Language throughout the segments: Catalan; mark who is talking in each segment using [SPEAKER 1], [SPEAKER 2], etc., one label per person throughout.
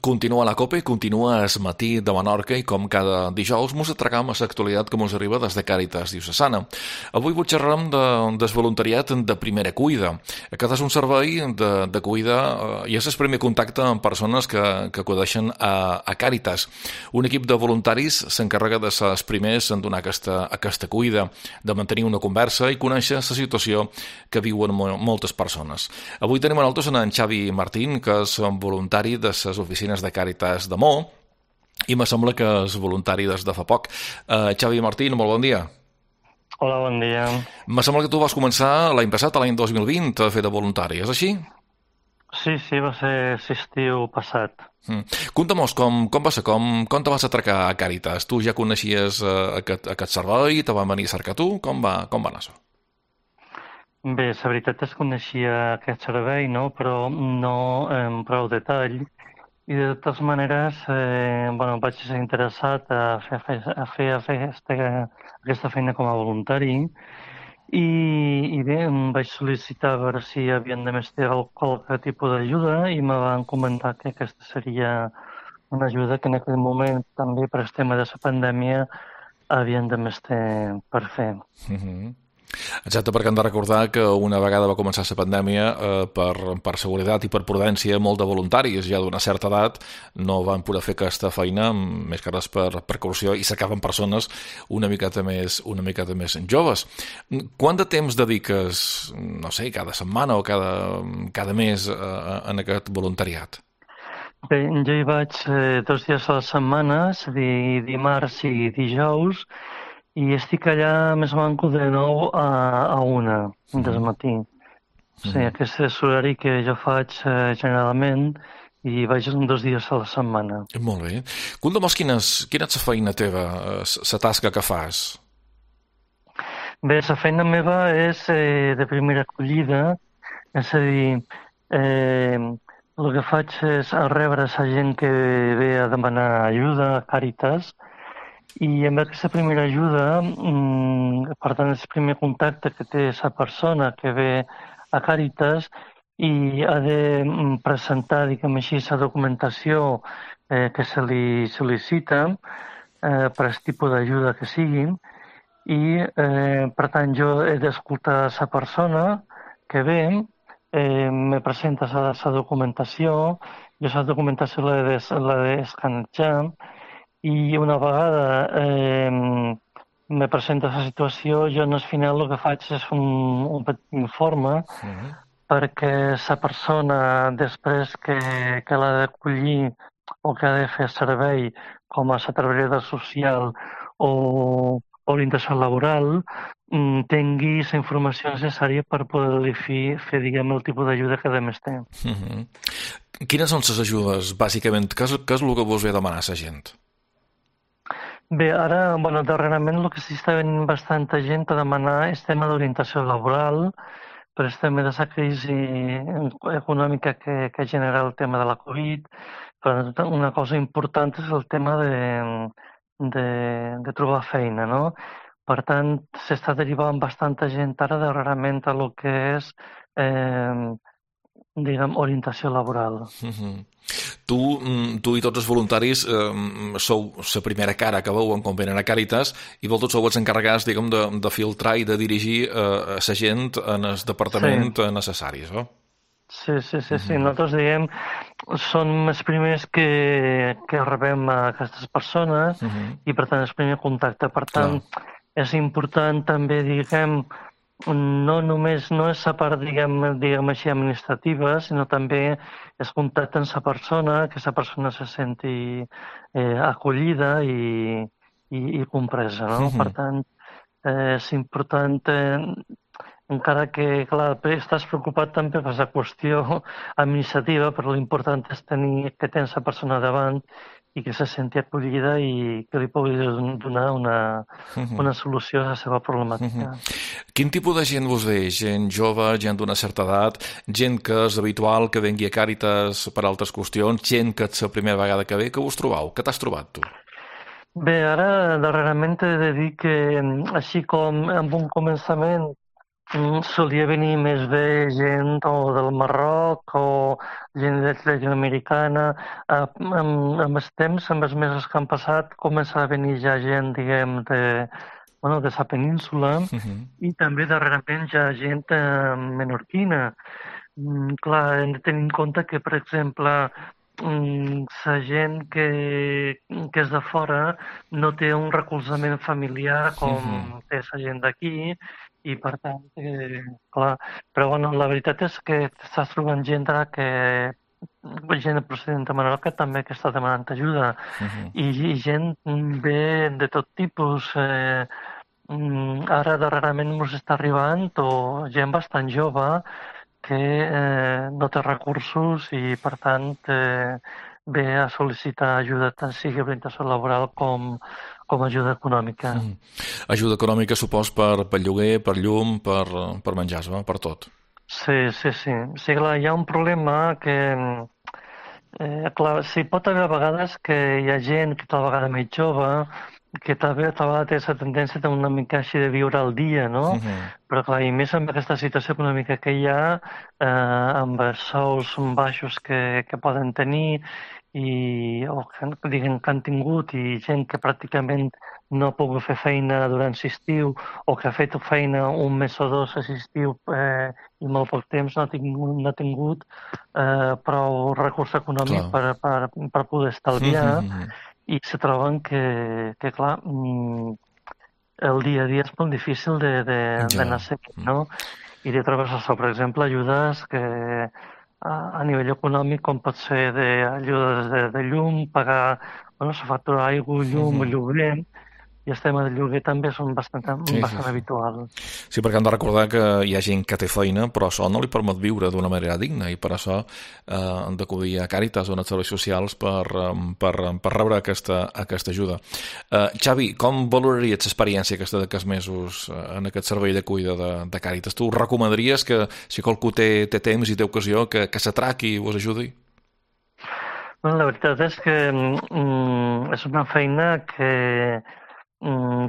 [SPEAKER 1] Continua la Copa i continua es matí de Menorca i com cada dijous mos atracam a l'actualitat que mos arriba des de Càritas Diocesana. Avui vos xerrarem del voluntariat de primera cuida. Aquest és un servei de cuida i és el primer contacte amb persones que acudeixen a Càritas. Un equip de voluntaris s'encarrega de ser els primers en donar aquesta cuida, de mantenir una conversa i conèixer la situació que viuen moltes persones. Avui tenim a nosaltres en Xavi Martín, que és voluntari de les oficines de Càritas de Mo, i me sembla que és voluntari des de fa poc. Xavi Martín, molt bon dia.
[SPEAKER 2] Hola, bon dia.
[SPEAKER 1] Me sembla que tu vas començar l'any passat, l'any 2020, a fer de voluntari, és així?
[SPEAKER 2] Sí, va ser l'estiu passat.
[SPEAKER 1] Conta'm-nos com va ser, com te vas atracar a Càritas? Tu ja coneixies aquest servei, te van venir a cercar tu? Com va anar això?
[SPEAKER 2] Bé, la veritat és que coneixia aquest servei, no? Però no en prou detall. I de totes maneres, vaig ser interessat a fer aquesta feina com a voluntari i bé, em vaig sol·licitar a veure si havien de més ter qualque tipus d'ajuda i me van comentar que aquesta seria una ajuda que en aquell moment també per el tema de la pandèmia havien de més ter per fer.
[SPEAKER 1] Exacte, perquè hem de recordar que una vegada va començar la pandèmia, per seguretat i per prudència, molt de voluntaris ja d'una certa edat no van poder fer aquesta feina, més que res per precaució, i s'acaben persones una miqueta més joves. Quant de temps dediques, no sé, cada setmana o cada mes en aquest voluntariat?
[SPEAKER 2] Bé, jo hi vaig 2 dies a la setmana, és a dir, dimarts i dijous, i estic allà més o menys de 9 a 1 del matí. O sigui, aquest és l'horari que jo faig generalment i vaig 2 dies a la setmana.
[SPEAKER 1] Molt bé. Conta'm quina és la feina teva, la tasca que fas?
[SPEAKER 2] Bé, la feina meva és de primera acollida, és a dir, el que faig és rebre la gent que ve a demanar ajuda a Càritas, i amb aquesta primera ajuda, per tant, és el primer contacte que té la persona que ve a Càritas i ha de presentar, diguem així, la documentació que se li sol·licita per al tipus d'ajuda que sigui i, per tant, jo he d'escoltar la persona que ve, me presenta la documentació, jo la documentació l'he d'escanejar i una vegada me presenta la situació, jo al final el que faig és un petit informe perquè la persona després que l'ha d'acollir o que ha de fer servei com a la treballadora social o orientació laboral tingui la informació necessària per poder-li fer diguem, el tipus d'ajuda que més té.
[SPEAKER 1] Quines són les ajudes, bàsicament? Què és el que vos ve a demanar a la gent?
[SPEAKER 2] Bé, ara, darrerament el que s'està venint bastanta gent a demanar és tema d'orientació laboral, per el tema de la crisi econòmica que genera el tema de la Covid. Però una cosa important és el tema de trobar feina, no? Per tant, s'està derivant bastanta gent ara darrerament a el que és diguem, orientació laboral.
[SPEAKER 1] Tu i tots els voluntaris sou la primera cara que veuen quan venen a Càritas i vosaltres sou els encarregats, diguem, de filtrar i de dirigir la gent en el departament necessaris, no?
[SPEAKER 2] Sí. Nosaltres, diguem, som els primers que rebem a aquestes persones i, per tant, és el primer contacte. Per tant, és important també, diguem, no és la part, diguem així, administrativa, sinó també és contacte amb la persona, que la persona se senti acollida i compresa, no? Per tant, és important, encara que, clar, estàs preocupat també per la qüestió administrativa, però l'important és tenir que tens la persona davant i que se senti acollida i que li pugui donar una solució a la seva problemàtica.
[SPEAKER 1] Quin tipus de gent vos ve? Gent jove, gent d'una certa edat, gent que és habitual que vengui a Càritas per altres qüestions, gent que és la primera vegada que ve? Què vos trobau? Què t'has trobat, tu?
[SPEAKER 2] Bé, ara darrerament he de dir que, així com en un començament Solia venir més bé gent o del Marroc o gent llatinoamericana. Amb els temps, amb els mesos que han passat, comença a venir ja gent, diguem, de la península i també darrerament ja gent menorquina. Clar, hem de tenir en compte que, per exemple, la gent que és de fora no té un recolzament familiar com té la gent d'aquí i, per tant, clar, però bueno, la veritat és que estàs trobant gent gent procedent de Menorca també que està demanant ajuda i gent ve de tot tipus. Ara darrerament ens està arribant gent bastant jove que no té recursos i, per tant, ve a sol·licitar ajuda tant sigui orientació laboral com ajuda econòmica.
[SPEAKER 1] Ajuda econòmica, supos, per lloguer, per llum, per menjar, per tot.
[SPEAKER 2] Sí. Sí, clar, hi ha un problema que, clar, sí, pot haver a vegades que hi ha gent que tal vegada més jove que també tal vegada té aquesta tendència de una mica així de viure al dia, no? Però clar, i més amb aquesta situació econòmica que hi ha, amb els sous baixos que poden tenir o que han tingut i gent que pràcticament no ha pogut fer feina durant l'estiu o que ha fet feina un mes o dos a l'estiu i molt poc temps no ha tingut prou recurs econòmic per poder estalviar i se troben que clar, el dia a dia és molt difícil d'anar seguint, no? I de trobes això, per exemple, ajudes que a nivell econòmic, com pot ser ajudes de llum, pagar la factura d'aigua, llum, lloguer, i el tema del lloguer també són bastant habitual.
[SPEAKER 1] Sí, perquè hem de recordar que hi ha gent que té feina, però això no li permet viure d'una manera digna i per això han d'acudir a Càritas o a serveis socials per rebre aquesta ajuda. Xavi, com valoraries l'experiència aquesta d'aquests mesos en aquest servei de cuida de Càritas? Tu recomanaries que si qualcú té temps i té ocasió que s'atraqui i us ajudi?
[SPEAKER 2] Bueno, la veritat és que és una feina que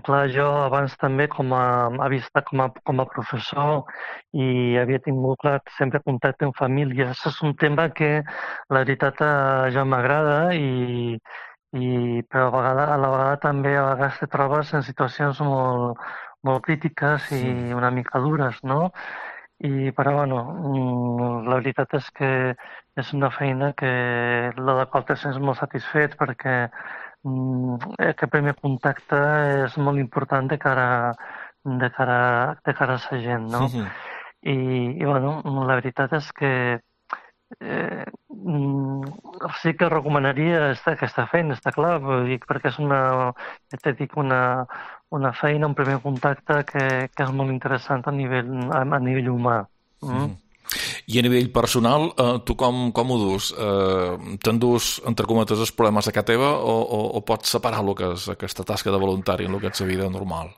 [SPEAKER 2] clar, jo abans també havia estat com a professor i havia tingut clar, sempre contacte amb famílies. És un tema que la veritat ja m'agrada però a la vegada també a vegades te trobes en situacions molt crítiques i una mica dures, no? Però bueno, la veritat és que és una feina la qual te sents molt satisfet perquè aquest primer contacte és molt important de cara a la gent, no? I bueno, la veritat és que sí que recomanaria aquesta feina, està clar, perquè és una feina, un primer contacte que és molt interessant a nivell humà.
[SPEAKER 1] I a nivell personal, tu com ho dus? T'endús, entre cometes, els problemes de casa teva o pots separar el que és aquesta tasca de voluntari en el que és la vida normal?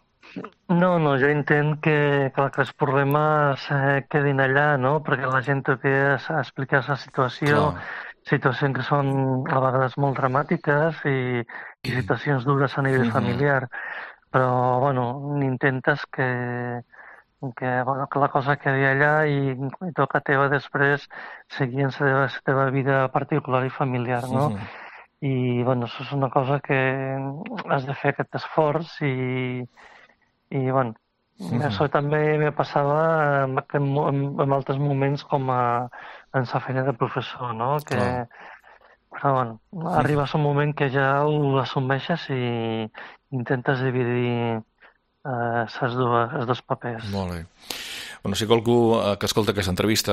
[SPEAKER 2] No, jo entenc que els problemes quedin allà, no? Perquè la gent té que explicar la situació, situacions que són a vegades molt dramàtiques i situacions dures a nivell familiar. Però, bueno, intentes que la cosa quedi allà i toca teva després seguir en la teva vida particular i familiar, no? I, bueno, això és una cosa que has de fer aquest esforç i bueno, això també me passava en altres moments com en la feina de professor, no? Però bueno, arribes a un moment que ja ho assumeixes i intentes dividir els dos papers.
[SPEAKER 1] Molt bé. Bueno, si qualcú que escolta aquesta entrevista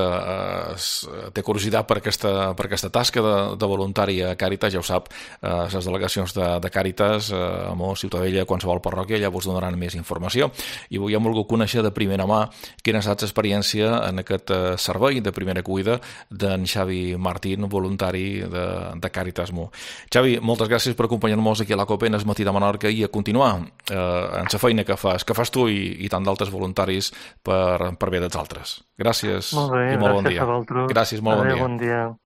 [SPEAKER 1] té curiositat per aquesta tasca de voluntari a Càritas, ja ho sap, les delegacions de Càritas, Amor, Ciutadella, qualsevol parròquia, ja us donaran més informació. I avui hem volgut conèixer de primera mà quina ha estat l'experiència en aquest servei de primera cuida d'en Xavi Martín, voluntari de Càritas Mo. Xavi, moltes gràcies per acompanyar-nos aquí a la COPE en el matí de Menorca i a continuar en la feina que fas tu i tant d'altres voluntaris per bé dels altres. Gràcies i molt bon dia.
[SPEAKER 2] Gràcies, molt bon dia.